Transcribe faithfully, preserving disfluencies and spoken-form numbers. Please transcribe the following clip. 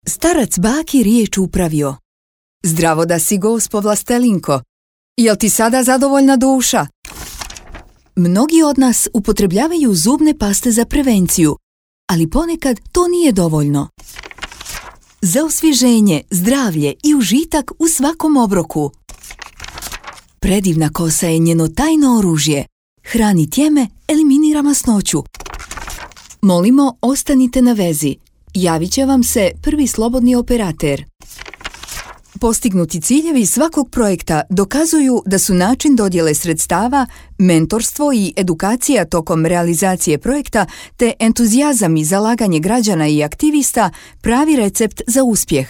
Starac baki riječ upravio. Zdravo da si, gospo Vlastelinko. Jel ti sada zadovoljna duša? Mnogi od nas upotrebljavaju zubne paste za prevenciju, ali ponekad to nije dovoljno. Za osvježenje, zdravlje i užitak u svakom obroku. Predivna kosa je njeno tajno oružje. Hrani tjeme, eliminira masnoću. Molimo, ostanite na vezi. Javit će vam se prvi slobodni operater. Postignuti ciljevi svakog projekta dokazuju da su način dodjele sredstava, mentorstvo i edukacija tokom realizacije projekta te entuzijazam i zalaganje građana i aktivista pravi recept za uspjeh.